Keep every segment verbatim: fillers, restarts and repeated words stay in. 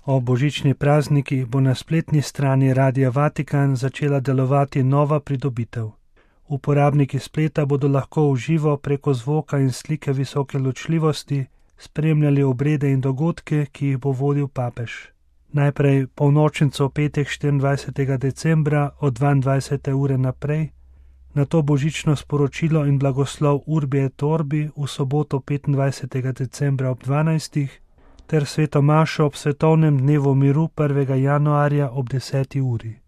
O božični prazniki bo na spletni strani Radia Vatikan začela delovati nova pridobitev. Uporabniki spleta bodo lahko v živo preko zvoka in slike visoke ločljivosti spremljali obrede in dogodke, ki jih bo vodil papež. Najprej polnočnico v petek štiriindvajsetega decembra od dvaindvajsete ure naprej, nato božično sporočilo in blagoslov Urbi et Orbi v soboto petindvajsetega decembra ob dvanajstih ter sveto mašo ob svetovnem dnevu miru prvega januarja ob deseti uri.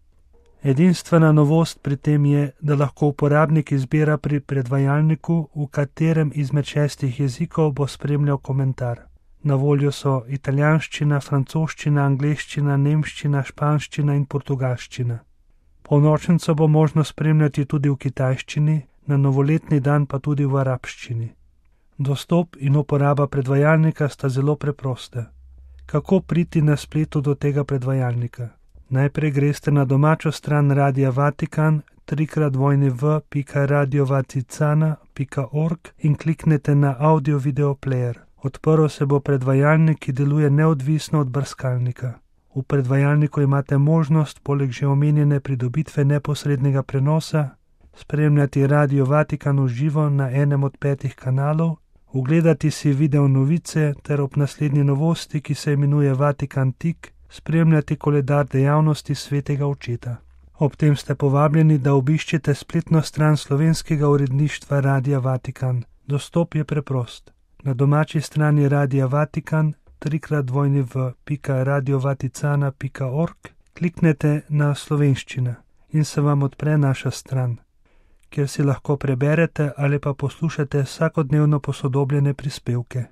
Edinstvena novost pri tem je, da lahko uporabnik izbira pri predvajalniku, v katerem izmed šestih jezikov bo spremljal komentar. Na voljo so italijanščina, francoščina, angleščina, nemščina, španščina in portugalščina. Polnočnico bo možno spremljati tudi v kitajščini, na novoletni dan pa tudi v arabščini. Dostop in uporaba predvajalnika sta zelo preproste. Kako priti na spletu do tega predvajalnika? Najprej greste na domačo stran Radia Vatikan, trikrat dvojni v pika radiovaticana pika org in kliknete na audio-video player. Odprl se bo predvajalnik, ki deluje neodvisno od brskalnika. V predvajalniku imate možnost, poleg že omenjene pridobitve neposrednega prenosa, spremljati Radio Vatikan v živo na enem od petih kanalov, ugledati si video novice ter ob naslednji novosti, ki se imenuje Vatikan Tik, spremljati koledar dejavnosti svetega očeta. Ob tem ste povabljeni, da obiščete spletno stran slovenskega uredništva Radia Vatikan. Dostop je preprost. Na domači strani Radia Vatikan, trikrat dvojni v pika radiovaticana pika org, kliknete na slovenščina in se vam odpre naša stran, kjer si lahko preberete ali pa poslušate vsakodnevno posodobljene prispevke.